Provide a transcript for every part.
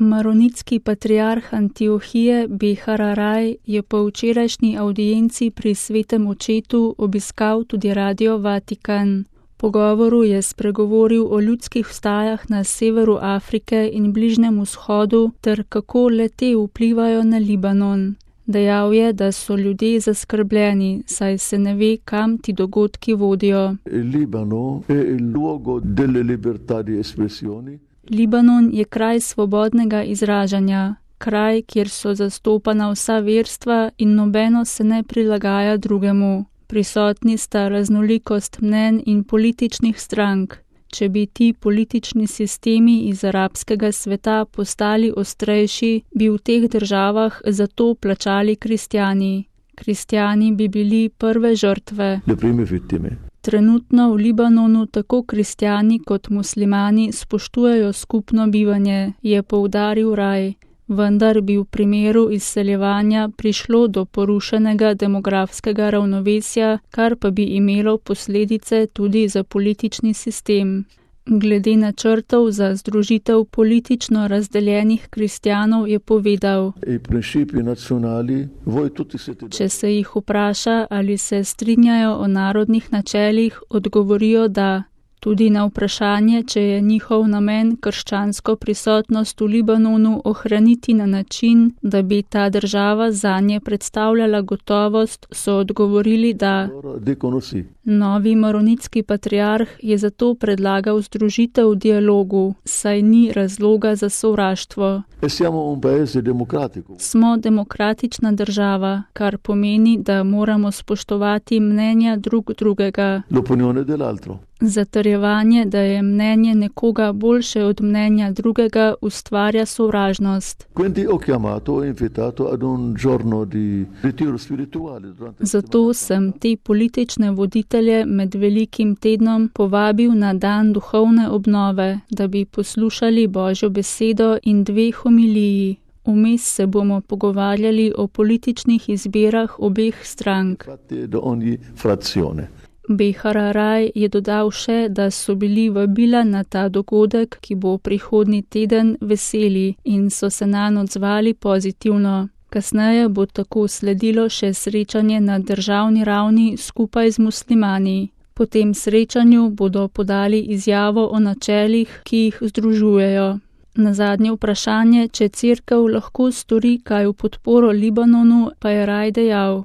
Maronitski patriarh Antiohije Behararaj je po včerajšnji avdienci pri Svetem očetu obiskal tudi Radio Vatikan. Po govoru je spregovoril o ljudskih vstajah na severu Afrike in Bližnjem vzhodu ter kako le-te vplivajo na Libanon. Dejal je, da so ljudje zaskrbljeni, saj se ne ve, kam ti dogodki vodijo. Libanon je kraj svobodnega izražanja, kraj, kjer so zastopana vsa verstva in nobeno se ne prilagaja drugemu. Prisotni sta raznolikost mnenj in političnih strank. Če bi ti politični sistemi iz arabskega sveta postali ostrejši, bi v teh državah za to plačali kristjani. Kristjani bi bili prve žrtve. Trenutno v Libanonu tako kristjani kot muslimani spoštujejo skupno bivanje, je poudaril Raj. Vendar bi v primeru izseljevanja prišlo do porušenega demografskega ravnovesja, kar pa bi imelo posledice tudi za politični sistem. Glede načrtov za združitev politično razdeljenih kristjanov je povedal: Če se jih vpraša, ali se strinjajo o narodnih načelih, odgovorijo da. Tudi na vprašanje, če je njihov namen krščansko prisotnost v Libanonu ohraniti na način, da bi ta država zanje predstavljala gotovost, so odgovorili da. Novi maronitski patriarh je zato predlagal združitev v dialogu, saj ni razloga za sovraštvo. Smo demokratična država, kar pomeni, da moramo spoštovati mnenja drugega. Zatrjevanje, da je mnenje nekoga boljše od mnenja drugega, ustvarja sovražnost. Zato sem te politične voditelje med velikim tednom povabil na dan duhovne obnove, da bi poslušali Božjo besedo in 2 homiliji. Vmes se bomo pogovarjali o političnih izbirah obeh strank. Behararaj je dodal še, da so bili vabila na ta dogodek, ki bo prihodnji teden, veseli in so se nanj odzvali pozitivno. Kasneje bo tako sledilo še srečanje na državni ravni skupaj z muslimani. Po tem srečanju bodo podali izjavo o načelih, ki jih združujejo. Na zadnje vprašanje, če cerkev lahko stori kaj v podporo Libanonu, pa je Raj dejal: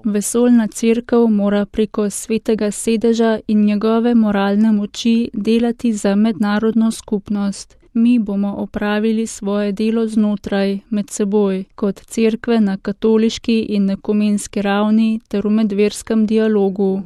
Vesoljna cerkev mora preko svetega sedeža in njegove moralne moči delati za mednarodno skupnost. Mi bomo opravili svoje delo znotraj, med seboj, kot cerkve na katoliški in ekumenski ravni ter v medverskem dialogu.